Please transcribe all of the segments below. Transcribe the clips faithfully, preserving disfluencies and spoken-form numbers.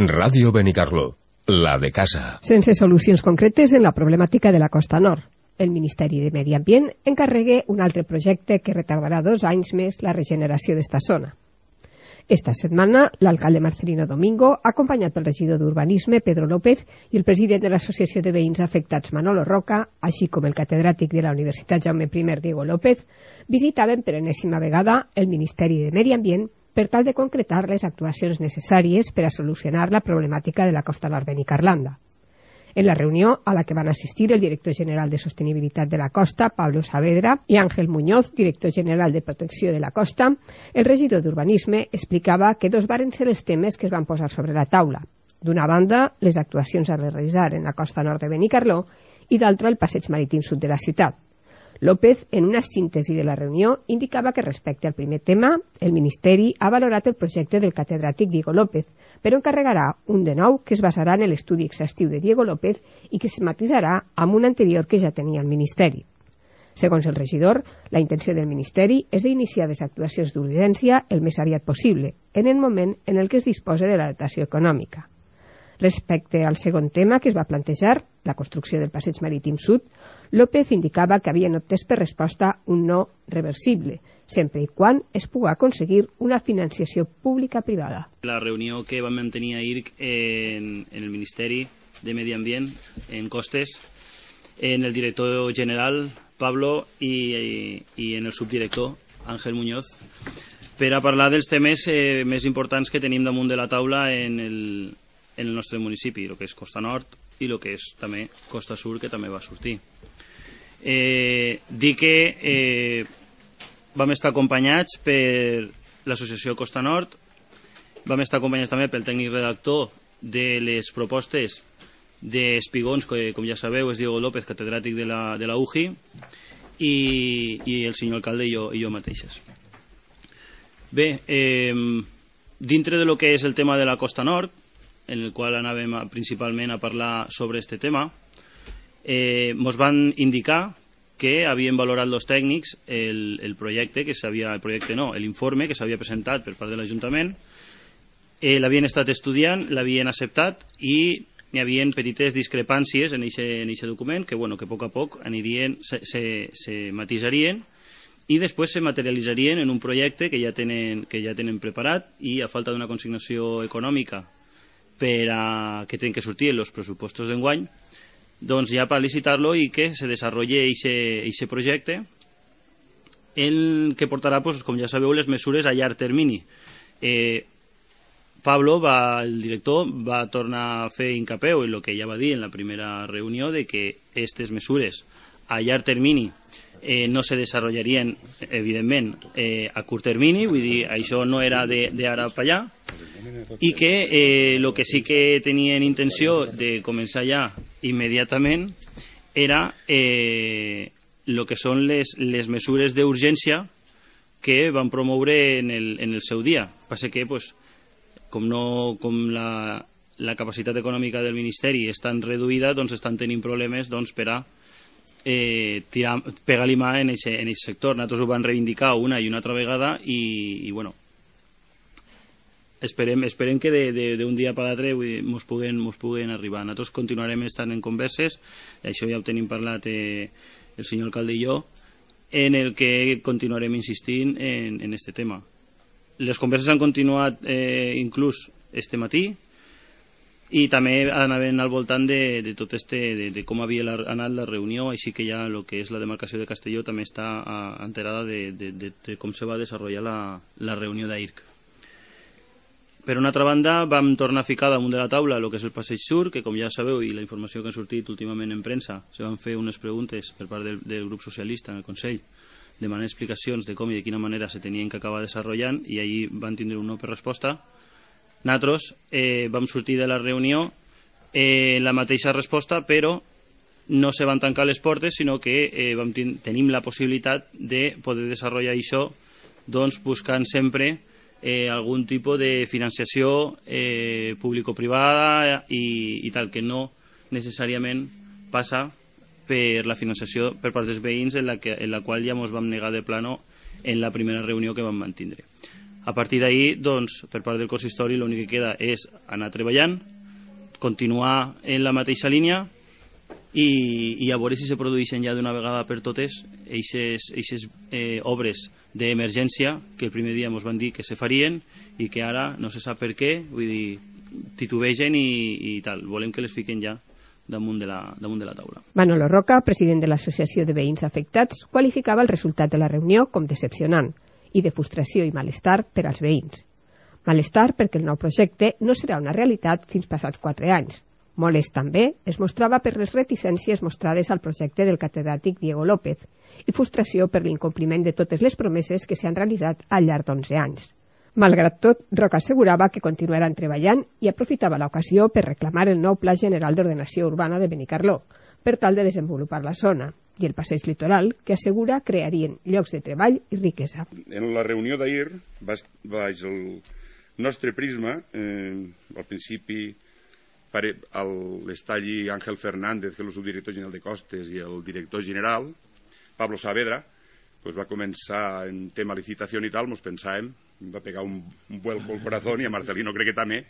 Ràdio Benicarló, la de casa. Sense solucions concretes en la problemàtica de la Costa Nord. El Ministeri de Medi Ambient encarregue un altre projecte que retardarà dos anys més la regeneració d'esta zona. Esta setmana, l'alcalde Marcelino Domingo, acompanyat pel regidor d'Urbanisme, Pedro López, i el president de l'Associació de Veïns Afectats, Manolo Roca, així com el catedràtic de la Universitat Jaume I, Diego López, visitaven per enèsima vegada el Ministeri de Medi Ambient per tal de concretar les actuacions necessàries per a solucionar la problemàtica de la costa nord benicarlanda. En la reunió a la que van assistir el director general de Sostenibilitat de la Costa, Pablo Saavedra, i Ángel Muñoz, director general de Protecció de la Costa, el regidor d'Urbanisme explicava que dos varen ser els temes que es van posar sobre la taula. D'una banda, les actuacions a realitzar en la costa nord de Benicarló i d'altra, el passeig marítim sud de la ciutat. López, en una síntesi de la reunió, indicava que respecte al primer tema, el Ministeri ha valorat el projecte del catedràtic Diego López, però encarregarà un de nou que es basarà en l'estudi exhaustiu de Diego López i que es matisarà amb un anterior que ja tenia el Ministeri. Segons el regidor, la intenció del Ministeri és d'iniciar les actuacions d'urgència el més aviat possible, en el moment en el que es disposa de la dotació econòmica. Respecte al segon tema que es va plantejar, la construcció del passeig marítim sud, López indicava que havien obtès per resposta un no reversible, sempre i quan es pugui aconseguir una financiació pública-privada. La reunió que vam mantenir ahir en, en el Ministeri de Medi Ambient, en Costes, en el director general, Pablo, i, i, i en el subdirector, Ángel Muñoz, per a parlar dels temes eh, més importants que tenim damunt de la taula en el, en el nostre municipi, el que és Costa Nord i el que és també Costa Sur, que també va sortir. Eh, dir que eh, vam estar acompanyats per l'associació Costa Nord, vam estar acompanyats també pel tècnic redactor de les propostes d'Espigons, que com ja sabeu és Diego López, catedràtic de la, de la U J I, i, i el senyor alcalde i jo, i jo mateixes. Bé, eh, dintre de lo que és el tema de la Costa Nord, en el qual anàvem a, principalment a parlar sobre este tema, eh, mos van indicar que havien valorat els tècnics el, el projecte que s'havia, el projecte no, l'informe que s'havia presentat per part de l'Ajuntament, eh, l'havien estat estudiant, l'havien acceptat i hi havia petites discrepàncies en aquest document que, bueno, que a poc a poc anirien, se, se, se matisarien i després se materialitzarien en un projecte que ja tenen, que ja tenen preparat, i a falta d'una consignació econòmica per a, que tenen que sortir en els pressupostos d'enguany, doncs ja per licitar-lo i que se desenvolupi aquest projecte, el que portarà, pues, com ja sabeu, les mesures a llarg termini. Eh, Pablo, va, el director, va tornar a fer hincapié en el que ja va dir en la primera reunió, de que aquestes mesures a llarg termini eh, no se desenvoluparien, evidentment, eh, a curt termini, vull dir, això no era d'ara per allà, i que el eh, que sí que tenien intenció de començar ja immediatament era el eh, que són les, les mesures d'urgència que van promoure en el, en el seu dia. Passa que, pues, com, no, com la, la capacitat econòmica del Ministeri és tan reduïda, doncs estan tenint problemes doncs, per a eh, tirar, pegar-li mà en aquest sector. Nosaltres ho vam reivindicar una i una altra vegada i, i bueno, Esperem, esperem que d'un dia per l'altre ens puguen, puguen arribar. Nosaltres continuarem estant en converses, això ja ho tenim parlat eh, el senyor alcalde i jo, en el que continuarem insistint en, en este tema. Les converses han continuat eh, inclús este matí i també anaven al voltant de, de tot este, de, de com havia la, anat la reunió, així que ja el que és la demarcació de Castelló també està enterada de, de, de, de com se va desenvolupar la, la reunió d'A I R C. Per una altra banda, vam tornar a ficar damunt de la taula el que és el passeig sur, que com ja sabeu, i la informació que ha sortit últimament en premsa, se van fer unes preguntes per part del, del grup socialista en el Consell, demanant explicacions de com i de quina manera se tenien que acabar desenvolupant, i allí van tindre un no per resposta. Nosaltres eh, vam sortir de la reunió eh, la mateixa resposta, però no se van tancar les portes, sinó que eh, vam ten tenim la possibilitat de poder desenvolupar això, doncs buscant sempre Eh, algun tipus de financiació eh, público-privada i, i tal, que no necessàriament passa per la financiació per part dels veïns, en la, que, en la qual ja ens vam negar de plano en la primera reunió que vam mantindre. A partir d'ahir, doncs, per part del consistori, l'únic que queda és anar treballant, continuar en la mateixa línia i, i a veure si se produeixen ja d'una vegada per totes aquestes eh, obres d'emergència que el primer dia ens van dir que se farien i que ara no se sap per què, vull dir, titubegen i, i tal. Volem que les fiquen ja damunt de, la, damunt de la taula. Manolo Roca, president de l'Associació de Veïns Afectats, qualificava el resultat de la reunió com decepcionant i de frustració i malestar per als veïns. Malestar perquè el nou projecte no serà una realitat fins passats quatre anys. Molest també es mostrava per les reticències mostrades al projecte del catedràtic Diego López i frustració per l'incompliment de totes les promeses que s'han realitzat al llarg d'onze anys. Malgrat tot, Roca assegurava que continuaran treballant i aprofitava l'ocasió per reclamar el nou Pla General d'Ordenació Urbana de Benicarló, per tal de desenvolupar la zona, i el passeig litoral, que assegura crearien llocs de treball i riquesa. En la reunió d'ahir, baix el nostre prisma, eh, al principi l'està allí Ángel Fernández, que és el subdirector general de Costes, i el director general, Pablo Saavedra, pues va començar en tema licitació i tal, ens pensàvem, va pegar un, un vuelco al corazón, i a Marcelino crec que també,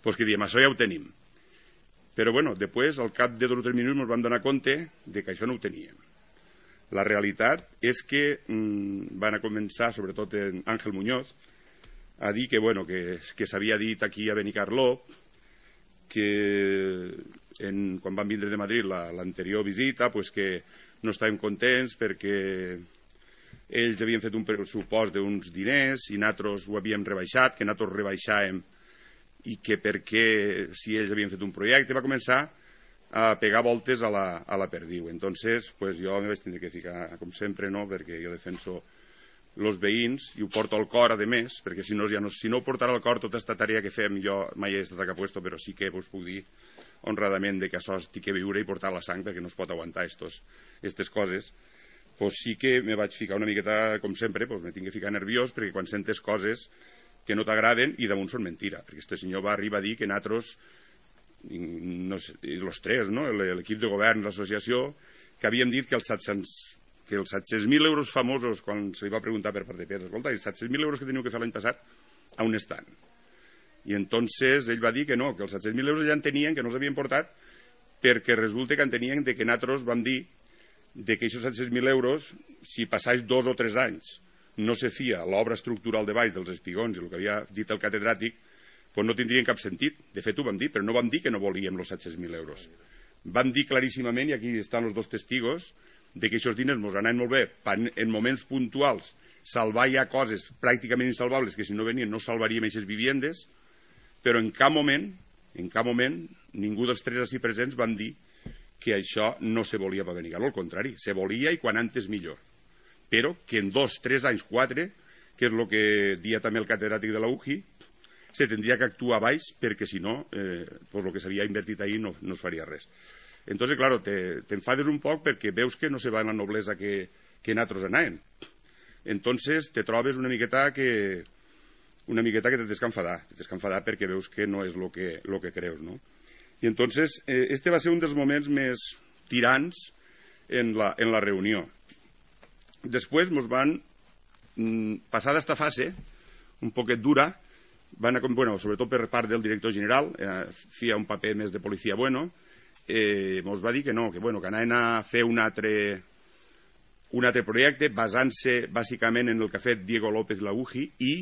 pues que diem, això ja ho tenim. Però, bueno, després, al cap de dos o tres minuts, ens vam donar compte de que això no ho teníem. La realitat és que mmm, van a començar, sobretot en Ángel Muñoz, a dir que, bueno, que, que s'havia dit aquí a Benicarló que en, quan van vindre de Madrid l'anterior visita, pues que no estàvem contents perquè ells havien fet un pressupost d'uns diners i nosaltres ho havíem rebaixat, que nosaltres rebaixàvem i que perquè si ells havien fet un projecte va començar a pegar voltes a la, a la perdiu. Entonces, pues jo me vaig tindre que ficar, com sempre, no? Perquè jo defenso els veïns i ho porto al cor, a més, perquè si no, ja no, si no ho portara al cor tota aquesta tarea que fem, jo mai he estat a capuesto, però sí que us puc dir honradament de que això estic a viure i portar la sang perquè no es pot aguantar aquestes coses. Pues sí que me vaig ficar una miqueta, com sempre, pues me tinc que ficar nerviós perquè quan sentes coses que no t'agraden i damunt són mentira, perquè este senyor va arribar a dir que nosaltres, no sé, els tres, no? L'equip de govern, l'associació, que havíem dit que els set-cents que els set-cents mil euros famosos, quan se li va preguntar per part de Pedro, escolta, els set-cents mil euros que teniu que fer l'any passat, on estan? I entonces ell va dir que no, que els set-cents mil euros ja en tenien, que no els havien portat, perquè resulta que en tenien de que nosaltres vam dir de que aquests set-cents mil euros, si passés dos o tres anys, no se fia l'obra estructural de baix dels espigons i el que havia dit el catedràtic, doncs no tindrien cap sentit. De fet, ho vam dir, però no vam dir que no volíem els set-cents mil euros. Vam dir claríssimament, i aquí estan els dos testigos, de que aquests diners ens anaven molt bé en moments puntuals, salvar ja coses pràcticament insalvables que si no venien no salvaríem aquestes viviendes, però en cap moment, en cap moment, ningú dels tres així presents van dir que això no se volia per Benicarló, al contrari, se volia i quan antes millor. Però que en dos, tres anys, quatre, que és el que dia també el catedràtic de la U J I, se tindria que actuar baix perquè si no, eh, pues el que s'havia invertit ahir no, no es faria res. Entonces, claro, te, te enfades un poc perquè veus que no se va en la noblesa que, que nosaltres anàvem. Entonces, te trobes una miqueta que una miqueta que te tens que enfadar, te tens que enfadar perquè veus que no és el que, lo que creus, no? I entonces, eh, este va ser un dels moments més tirants en la, en la reunió. Després ens van, mm, passada esta fase, un poquet dura, van a, bueno, sobretot per part del director general, eh, feia un paper més de policia bueno, eh, ens va dir que no, que, bueno, que anaven a fer un altre, un altre projecte basant-se bàsicament en el que ha fet Diego López la U J I i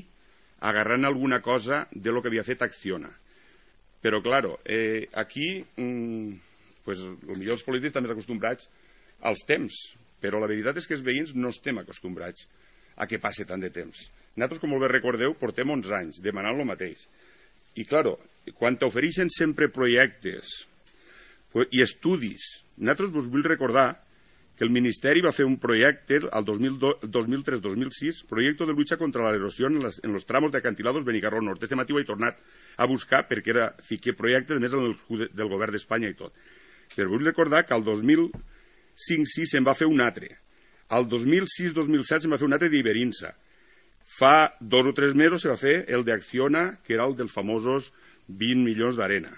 agarrant alguna cosa de lo que havia fet Acciona. Però, claro, eh, aquí, mm, pues, potser els polítics estan més acostumbrats als temps, però la veritat és que els veïns no estem acostumbrats a que passe tant de temps. Nosaltres, com molt bé recordeu, portem onze anys demanant el mateix. I, claro, quan t'ofereixen sempre projectes i estudis, nosaltres vos vull recordar que el Ministeri va fer un projecte al dos mil tres dos mil sis, projecte de lucha contra la erosión en, las, en los tramos de acantilados Benicarló Nord. Este matí ho he tornat a buscar perquè era fiqué projecte, a més del, del govern d'Espanya i tot. Però vull recordar que al dos mil cinc sis se'n va fer un altre. Al dos mil sis dos mil set se'n va fer un altre d'Iberinsa. Fa dos o tres mesos se va fer el d'Acciona, que era el dels famosos vint milions d'arena.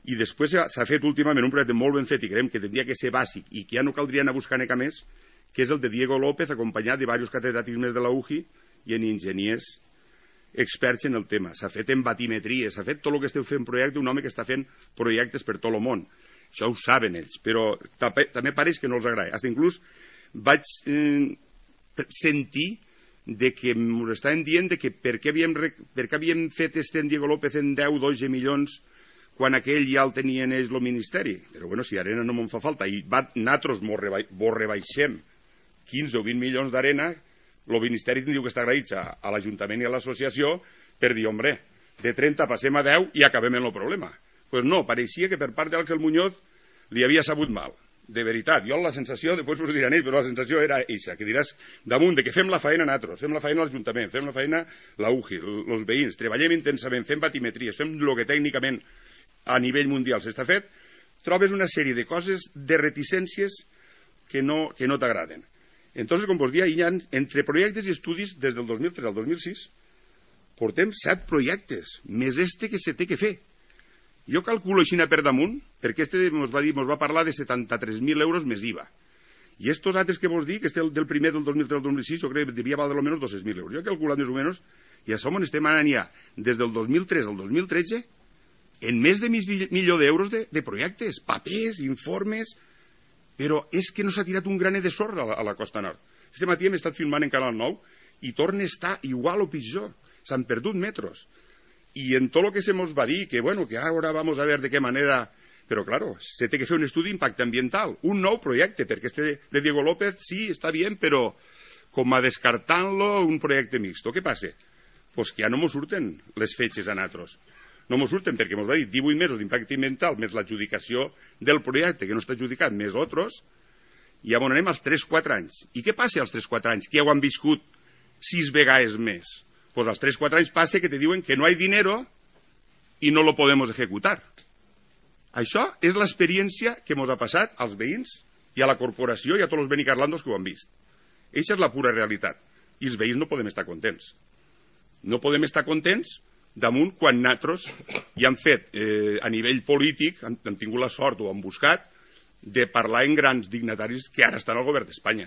I després s'ha fet últimament un projecte molt ben fet i creiem que tindria que ser bàsic i que ja no caldria anar a buscar neca més, que és el de Diego López, acompanyat de diversos catedràtics més de la U J I i en enginyers experts en el tema, s'ha fet en batimetria, s'ha fet tot el que esteu fent projecte, un home que està fent projectes per tot el món. Això ho saben ells, però també pareix que no els agrada. Fins inclús vaig eh, sentir de que ens estaven dient de que per què havíem, per què havíem fet este en Diego López en deu, dotze milions quan aquell ja el tenien ells el Ministeri. Però bueno, si arena no me'n fa falta i va, nosaltres vos rebaixem quinze o vint milions d'arena, el Ministeri diu que està agraït a, a l'Ajuntament i a l'associació per dir, hombre, de trenta passem a deu i acabem en el problema. Doncs pues no, pareixia que per part d'Àngel Muñoz li havia sabut mal. De veritat, jo la sensació, després us ho diran ells, però la sensació era eixa, que diràs damunt de que fem la feina nosaltres, fem la feina a l'Ajuntament, fem la feina la U G I, els veïns, treballem intensament, fem batimetries, fem el que tècnicament a nivell mundial s'està fet, trobes una sèrie de coses, de reticències que no, que no t'agraden. Entonces, com vos dia, hi ha, entre projectes i estudis, des del dos mil tres al dos mil sis, portem set projectes, més este que se té que fer. Jo calculo així per damunt, perquè este ens va dir, ens va parlar de setanta-tres mil euros més I V A. I estos altres que vos dic, este del primer del dos mil tres al dos mil sis, jo crec que devia valer almenys dos-cents mil euros. Jo he calculat més o menys, i a som on estem anant ja, des del dos mil tres al dos mil tretze, en més de mig milió d'euros de, de projectes, papers, informes, però és que no s'ha tirat un graner de sorra a la, a la Costa Nord. Este matí hem estat filmant en Canal nou i torna a estar igual o pitjor. S'han perdut metros. Y en todo lo que se nos va a decir, que bueno, que ahora vamos a ver de qué manera... Pero claro, se tiene que hacer un estudio de impacto ambiental, un nou projecte, perquè este de Diego López sí, està bien, però com a descartant-lo un projecte mixto. Què passa? Pues que ja no mos surten les fetges a nosaltres. No mos surten perquè mos va dir divuit mesos d'impacte ambiental més l'adjudicació del projecte, que no està adjudicat, més altres, i ja anem als tres quatre anys. I què passa als tres quatre anys? Que ja ho han viscut sis vegades més. Pues als tres quatre anys passa que te diuen que no hay dinero i no lo podemos ejecutar. Això és l'experiència que ens ha passat als veïns i a la corporació i a tots els benicarlandos que ho han vist. Eixa és la pura realitat. I els veïns no podem estar contents. No podem estar contents damunt quan nosaltres ja hem fet, eh, a nivell polític, hem, hem tingut la sort o hem buscat, de parlar en grans dignataris que ara estan al govern d'Espanya.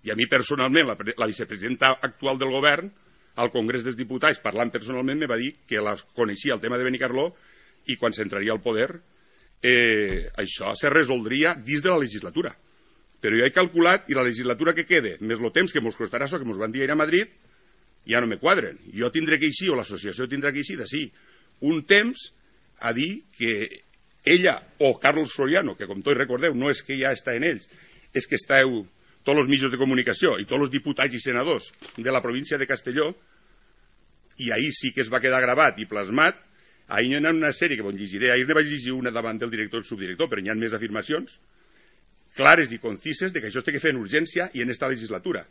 I a mi personalment, la, la vicepresidenta actual del govern, al Congrés dels Diputats, parlant personalment, me va dir que la coneixia el tema de Benicarló i quan s'entraria al poder eh, això se resoldria dins de la legislatura. Però jo he calculat, i la legislatura que quede, més el temps que ens costarà això, que ens van dir ir a Madrid, ja no me quadren. Jo tindré que eixir, o l'associació tindrà que eixir, d'ací, un temps a dir que ella, o Carlos Floriano, que com tots recordeu, no és que ja està en ells, és que esteu tots els mitjans de comunicació i tots els diputats i senadors de la província de Castelló, i ahir sí que es va quedar gravat i plasmat. Ahir hi ha una sèrie que vos llegiré, ahir ne vaig llegir una davant del director i el subdirector, però hi ha més afirmacions clares i concises de que això es té que fer en urgència i en esta legislatura.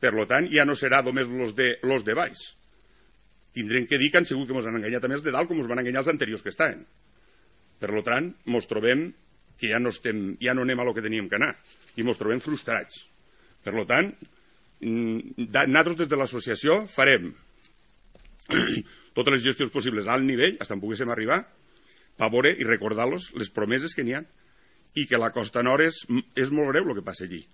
Per tant, ja no serà només los de, los de baix. Tindrem que dir que han sigut que ens han enganyat a més de dalt com ens van enganyar els anteriors que estaven. Per tant, ens trobem que ja no, estem, ja no anem a lo que teníem que anar i ens trobem frustrats. Per tant, nosaltres des de l'associació farem totes les gestions possibles al nivell, fins on poguéssim arribar, per veure i recordar-los les promeses que n'hi ha i que la Costa Nord és, és molt greu el que passa allí.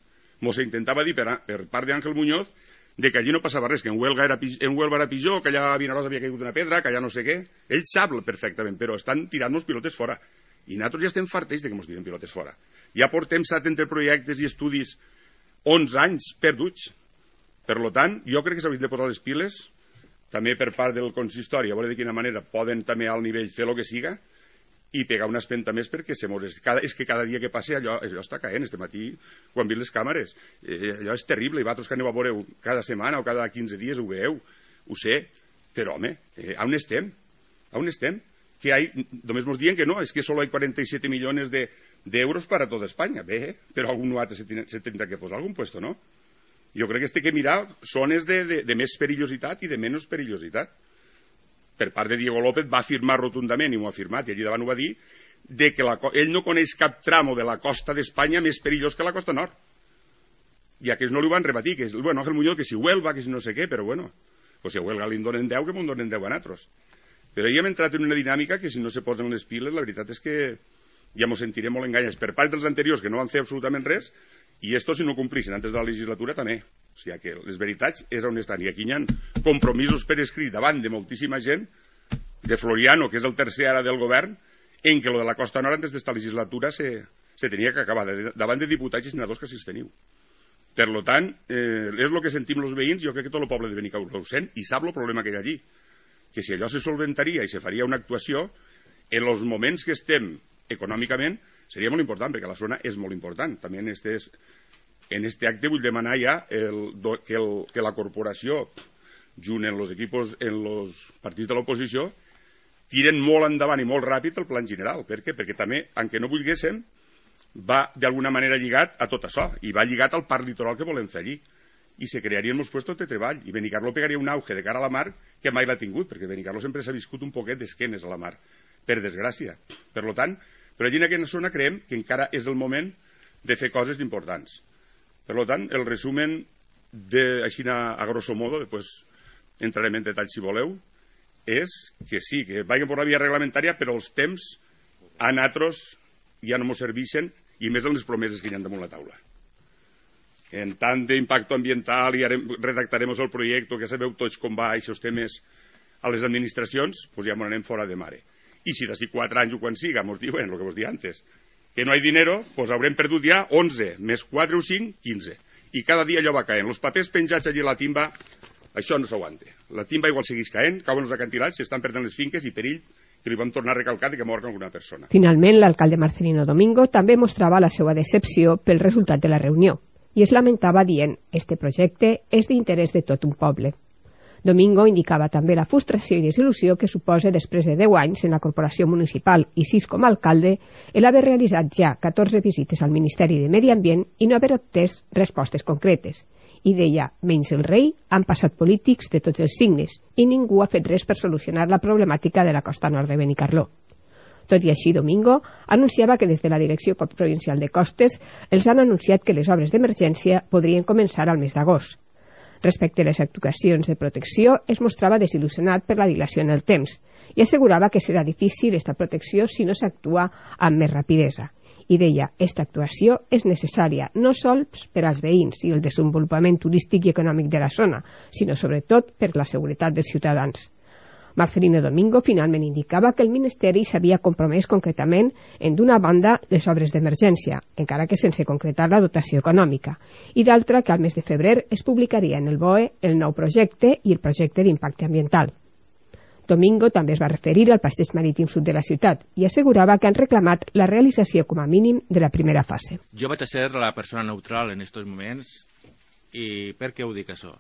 Mos intentava dir per, per part d'Àngel Muñoz de que allí no passava res, que en Huelva era, en Huelva era pitjor, que allà a Vinaròs havia caigut una pedra, que allà no sé què. Ell sap perfectament, però estan tirant-nos pilotes fora. I nosaltres ja estem farteix de que ens tiren pilotes fora. Ja portem set entre projectes i estudis onze anys perduts. Per tant, jo crec que s'haurien de posar les piles també per part del consistori, a veure de quina manera poden també al nivell fer el que siga i pegar una espenta més perquè se mos... Cada, és que cada dia que passe allò, allò està caent. Este matí, quan vist les càmeres, eh, allò és terrible, i vosaltres que aneu a veure cada setmana o cada quinze dies ho veieu, ho sé, però home, eh, on estem? On estem? Que hay, només ens diuen que no, és que solo hay cuarenta y siete millones de, de euros para toda España. Bé, però algun altre se, se tindrà que posar algun puesto, no? Jo crec que este que mirar zones de, de, de més perillositat i de menys perillositat. Per part de Diego López va afirmar rotundament, i ho ha afirmat, i allí davant ho va dir, de que la, ell no coneix cap tramo de la costa d'Espanya més perillós que la costa nord. I aquests no li van rebatir, que és, bueno, Ángel Muñoz, que si Huelva, que si no sé què, però bueno, pues si a Huelva li donen deu, que m'ho donen deu a nosaltres. Però ja hem entrat en una dinàmica que si no se posen les piles, la veritat és que ja ens sentirem molt enganyats per part dels anteriors que no van fer absolutament res, i esto si no complissin antes de la legislatura també. O sigui que les veritats és on estan. I aquí hi ha compromisos per escrit davant de moltíssima gent, de Floriano, que és el tercer ara del govern, en què lo de la Costa Nord antes d'esta legislatura se, se tenia que acabar, de, davant de diputats i senadors que assisteniu. Per tant, eh, és el que sentim els veïns, jo crec que tot el poble de Benicarló ho sent, i sap el problema que hi ha allí. Que si allò se solventaria i se faria una actuació, en els moments que estem econòmicament, seria molt important, perquè la zona és molt important. També en este, en este acte vull demanar ja el, que, el, que la corporació, junt en els equipos, en els partits de l'oposició, tiren molt endavant i molt ràpid el plan general. Per què? Perquè també, aunque no volguéssim, va d'alguna manera lligat a tot això, i va lligat al parc litoral que volem fer allí. I se crearien molts puestos de treball, i Benicarló pegaria un auge de cara a la mar que mai l'ha tingut, perquè Benicarló sempre s'ha viscut un poquet d'esquenes a la mar, per desgràcia. Per tant, però allí en aquesta zona creiem que encara és el moment de fer coses importants. Per tant, el resumen, de, així a, a grosso modo, després entrarem en detall si voleu, és que sí, que vagin per la via reglamentària, però els temps a nosaltres ja no ens serveixen, i més en les promeses que hi ha damunt la taula. En tant d'impacte ambiental, i redactarem el projecte, que sabeu tots com va aquests temes a les administracions, doncs ja m'ho anem fora de mare. I si d'ací quatre anys o quan siga, ens diuen el que vos dia antes, que no hi ha dinero, doncs haurem perdut ja onze, més quatre o cinc, quinze. I cada dia allò va caent. Els papers penjats allí a la timba, això no s'aguanta. La timba igual segueix caent, cauen els acantilats, s'estan perdent les finques i perill que li vam tornar a recalcar que mor alguna persona. Finalment, l'alcalde Marcelino Domingo també mostrava la seva decepció pel resultat de la reunió i es lamentava dient «Este projecte és d'interès de tot un poble». Domingo indicava també la frustració i desil·lusió que suposa després de deu anys en la corporació municipal i sis com a alcalde el haver realitzat ja catorze visites al Ministeri de Medi Ambient i no haver obtès respostes concretes. I deia, menys el rei, han passat polítics de tots els signes i ningú ha fet res per solucionar la problemàtica de la costa nord de Benicarló. Tot i així, Domingo anunciava que des de la Direcció Provincial de Costes els han anunciat que les obres d'emergència podrien començar al mes d'agost. Respecte a les actuacions de protecció, es mostrava desil·lusionat per la dilació en el temps i assegurava que serà difícil esta protecció si no s'actua amb més rapidesa. I deia, esta actuació és necessària no sols per als veïns i el desenvolupament turístic i econòmic de la zona, sinó sobretot per la seguretat dels ciutadans. Marcelino Domingo finalment indicava que el Ministeri s'havia compromès concretament en d'una banda les obres d'emergència, encara que sense concretar la dotació econòmica, i d'altra que al mes de febrer es publicaria en el B O E el nou projecte i el projecte d'impacte ambiental. Domingo també es va referir al passeig marítim sud de la ciutat i assegurava que han reclamat la realització com a mínim de la primera fase. Jo vaig a ser la persona neutral en aquests moments i per què ho dic això?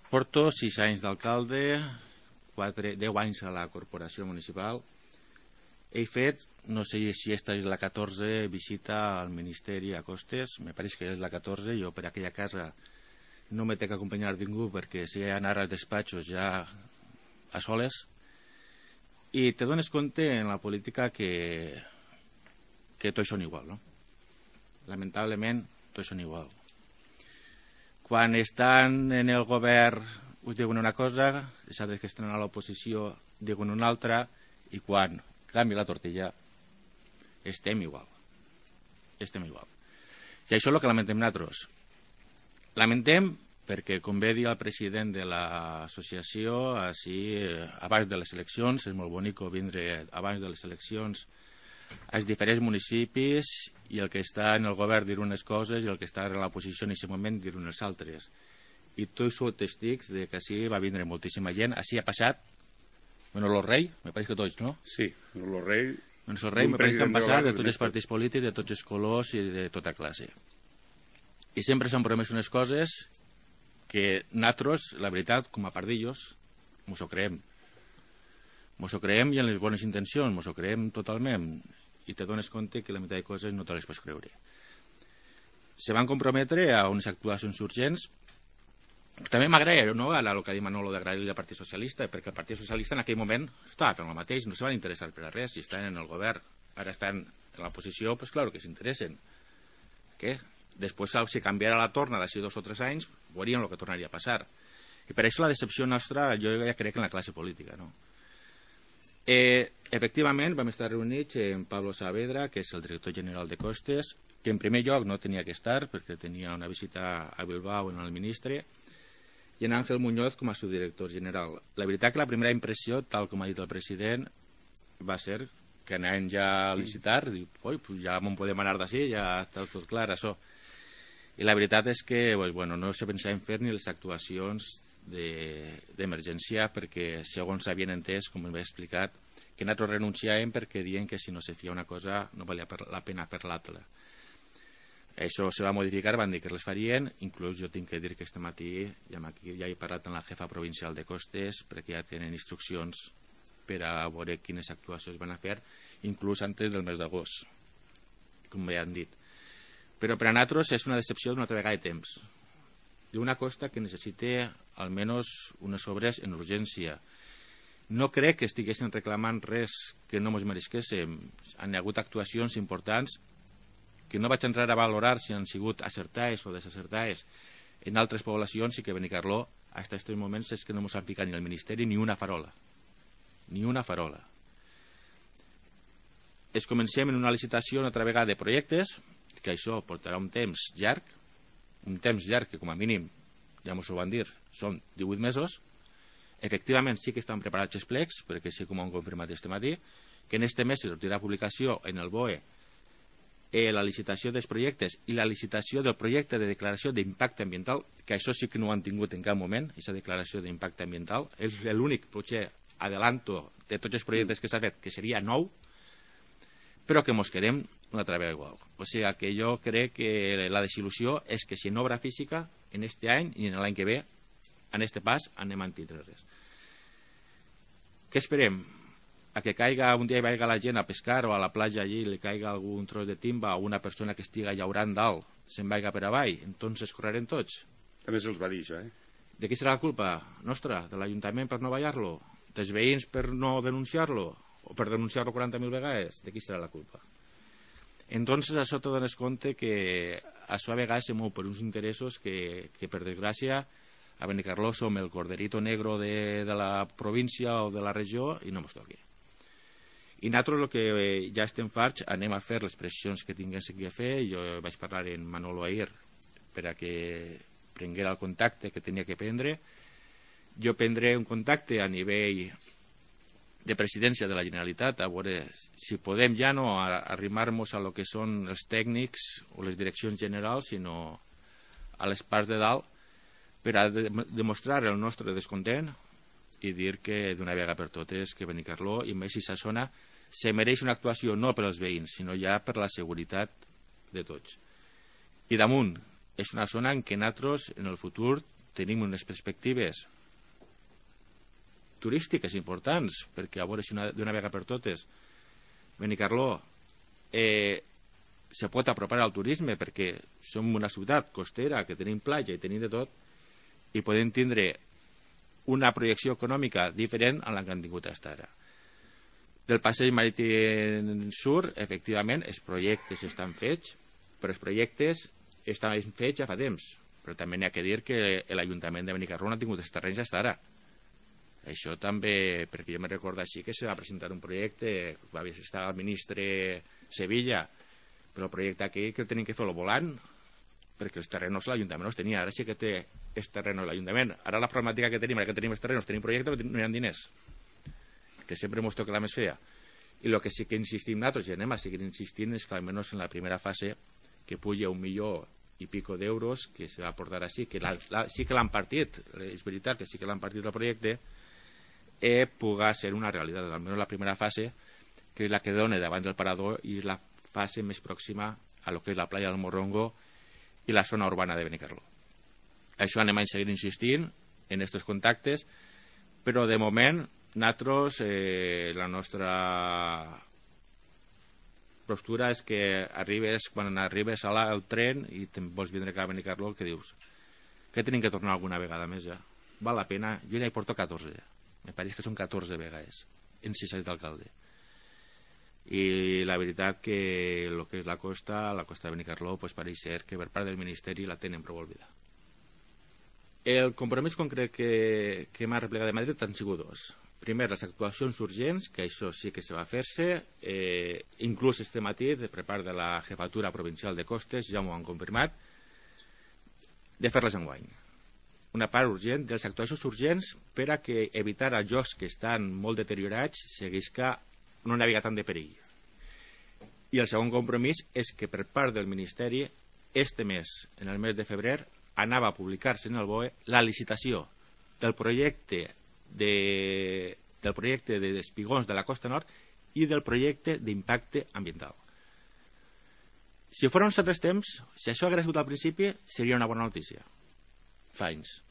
Porto sis anys d'alcalde, deu anys a la corporació municipal. He fet, no sé si esta és la catorze visita al Ministeri a Costes, me pareix que és la catorze, jo per aquella casa no me té que acompanyar ningú perquè si he d'anar als despatxos ja a soles, i te dones compte en la política que que tots són igual, no? Lamentablement tots són igual. Quan estan en el govern us diuen una cosa, els altres que estan a l'oposició diuen una altra, i quan canvia la tortilla estem igual. Estem igual. I això és el que lamentem nosaltres. Lamentem perquè, com bé dir el president de l'associació, així, abans de les eleccions, és molt bonic vindre abans de les eleccions als diferents municipis i el que està en el govern dir unes coses i el que està en l'oposició en aquest moment dir unes altres. I tots sou testics de que així va vindre moltíssima gent. Així ha passat, bueno, el rei, me pareix que tots, no? Sí, el rei... Bueno, el rei me pareix que han passat de tots els partits polítics, de tots els colors i de tota classe. I sempre s'han promès unes coses que nosaltres, la veritat, com a pardillos, mos ho creem. Mos ho creem i en les bones intencions, mos ho creem totalment. I te dones compte que la meitat de coses no te les pots creure. Se van comprometre a unes actuacions urgents. També m'agrada, no?, ara el que ha dit Manolo d'agrair-li al Partit Socialista, perquè el Partit Socialista en aquell moment estava fent el mateix, no se van interessar per a res, si estan en el govern. Ara estan en l'oposició, doncs clar que s'interessen. Què? Després, si canviara la torna d'ací dos o tres anys, veuríem el que tornaria a passar. I per això la decepció nostra, jo ja crec en la classe política, no? Eh, efectivament, vam estar reunits amb Pablo Saavedra, que és el director general de Costes, que en primer lloc no tenia que estar perquè tenia una visita a Bilbao en el ministre, i en Ángel Muñoz com a subdirector general. La veritat que la primera impressió, tal com ha dit el president, va ser que anàvem ja a licitar, dic, oi, pues ja me'n podem anar d'ací, ja està tot clar, això. I la veritat és que pues, bueno, no se pensava en fer ni les actuacions d'emergència perquè, segons s'havien entès, com m'he explicat, que nosaltres renunciàvem perquè diuen que si no se feia una cosa no valia la pena fer l'altra. Això se va modificar, van dir que les farien, inclús jo tinc que dir que este matí ja, aquí, ja he parlat amb la jefa provincial de Costes perquè ja tenen instruccions per a veure quines actuacions van a fer, inclús antes del mes d'agost, com ja han dit. Però per a nosaltres és una decepció d'una altra vegada de temps, d'una costa que necessita almenys unes obres en urgència. No crec que estiguessin reclamant res que no ens mereixéssim. Han hagut actuacions importants que no vaig entrar a valorar si han sigut acertades o desacertades en altres poblacions i que Benicarló, fins a aquests moments, és que no ens han ficat ni el Ministeri ni una farola. Ni una farola. Es comencem en una licitació una altra vegada de projectes, que això portarà un temps llarg, un temps llarg que com a mínim, ja ens ho van dir, són divuit mesos. Efectivament sí que estan preparats els plecs, perquè sí com ho han confirmat este matí, que en este mes se sortirà publicació en el B O E eh, la licitació dels projectes i la licitació del projecte de declaració d'impacte ambiental, que això sí que no ho han tingut en cap moment, aquesta declaració d'impacte ambiental. És l'únic, potser, adelanto de tots els projectes que s'ha fet, que seria nou, però que mos quedem una altra vegada igual. O sigui que jo crec que la desil·lusió és que si en obra física, en este any i en l'any que ve, en este pas anem a tindre res. Què esperem? A que caiga un dia i vaiga la gent a pescar o a la platja allí i li caiga algun tros de timba o una persona que estiga llaurant dalt se'n vaiga per avall, entonces correrem tots. També se'ls va dir això, eh? De qui serà la culpa? Nostra? De l'Ajuntament per no ballar-lo? Dels veïns per no denunciar-lo? O per denunciar-lo quaranta mil vegades? De qui serà la culpa? Entonces això te dones compte que això a vegades se mou per uns interessos que, que per desgràcia a Benicarló som el corderito negro de, de la província o de la regió i no mos toqui. I nosaltres el que ja estem farts anem a fer les pressions que tinguéssim que fer. Jo vaig parlar amb Manolo ahir per a que prenguera el contacte que tenia que prendre. Jo prendré un contacte a nivell de presidència de la Generalitat a veure si podem ja no arrimar-nos a lo que són els tècnics o les direccions generals, sinó a les parts de dalt, per a de demostrar el nostre descontent i dir que d'una vegada per totes que Benicarló i més aquesta zona se mereix una actuació no per als veïns, sinó ja per la seguretat de tots. I damunt, és una zona en què nosaltres en el futur tenim unes perspectives turístiques importants, perquè a veure si d'una vegada per totes Benicarló eh, se pot apropar al turisme, perquè som una ciutat costera, que tenim platja i tenim de tot, i podem tindre una projecció econòmica diferent a la que han tingut fins ara. Del passeig marítim sur, efectivament, els projectes estan fets, però els projectes estan fets ja fa temps. Però també n'hi ha que dir que l'Ajuntament de Benicarló no ha tingut els terrenys fins ara. Això també, perquè jo me recordo així que se va presentar un projecte, va estar el ministre Sevilla, però el projecte aquí que tenim que fer-lo volant, perquè els terrenos l'Ajuntament no els tenia. Ara sí que té els terrenos l'Ajuntament. Ara la problemàtica que tenim, ara que tenim els terrenos, tenim projecte, però no hi ha diners, que sempre ens toca la més fea. I el que sí que insistim nosaltres, i anem a seguir insistint, és que almenys en la primera fase que puja un milió i pico d'euros que se va portar així, que la, la, sí que l'han partit, és veritat que sí que l'han partit el projecte, eh, puga ser una realitat, almenys la primera fase, que és la que dona davant del parador i és la fase més pròxima a lo que és la playa del Morrongo i la zona urbana de Benicarló. Això anem a seguir insistint en aquests contactes, però de moment nosaltres, eh, la nostra postura és que arribes, quan arribes al tren i te'n vols vindre cap a Benicarló, que dius que tenim que tornar alguna vegada més ja, val la pena. Jo ja hi porto catorze ja, me pareix que són catorze vegades en sis anys d'alcalde, i la veritat que el que és la costa, la costa de Benicarló, pues pareix ser que per part del Ministeri la tenen prou oblidada. El compromís concret que, que m'ha replegat de Madrid han sigut dos. primer, les actuacions urgents, que això sí que se va fer-se, eh, inclús este matí, per part de la jefatura provincial de Costes, ja m'ho han confirmat, de fer-les enguany. Una part urgent de les actuacions urgents per a que evitar els jocs que estan molt deteriorats seguisca no n'hi havia tant de perill. I el segon compromís és que per part del Ministeri este mes, en el mes de febrer, anava a publicar-se en el B O E la licitació del projecte de, del projecte de espigons de la Costa Nord i del projecte d'impacte ambiental. Si fos uns altres temps, si això hagués sigut al principi, seria una bona notícia. Fa anys.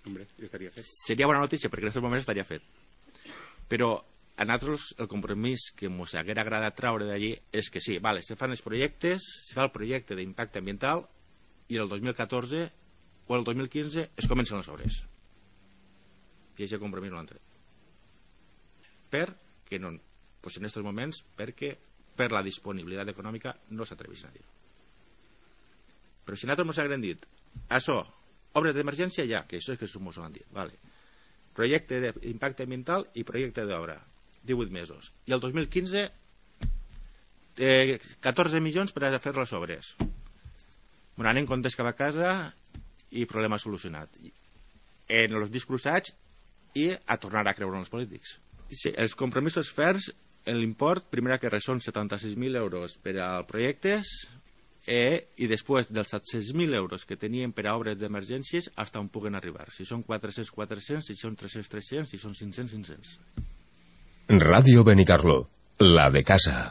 Hombre, estaria fet. Seria bona notícia, perquè en aquests moments estaria fet. Però a nosaltres el compromís que ens haguera agradat traure d'allí és que sí, vale, se fan els projectes, se fa el projecte d'impacte ambiental i el dos mil catorze o el dos mil quinze es comencen les obres. I aquest compromís no l'han tret. Perquè no, doncs en aquests moments, perquè per la disponibilitat econòmica no s'atreveixen a dir. Però si nosaltres ens haguem dit això, obres d'emergència ja, que això és que ens ho han dit, vale. Projecte d'impacte ambiental i projecte d'obra, divuit mesos. I el dos mil quinze, eh, catorze milions per a fer les obres. Bueno, anem comptes cap a casa i problema solucionat. En els discrusats i a tornar a creure en els polítics. Sí, els compromisos ferms, l'import, primera que res, són setanta-sis mil euros per a projectes eh, i després dels set-cents mil euros que tenien per a obres d'emergències fins on puguen arribar. Si són quatre-cents, quatre-cents, si són tres-cents, tres-cents, si són cinc-cents, cinc-cents. Radio Benicarló, la de casa.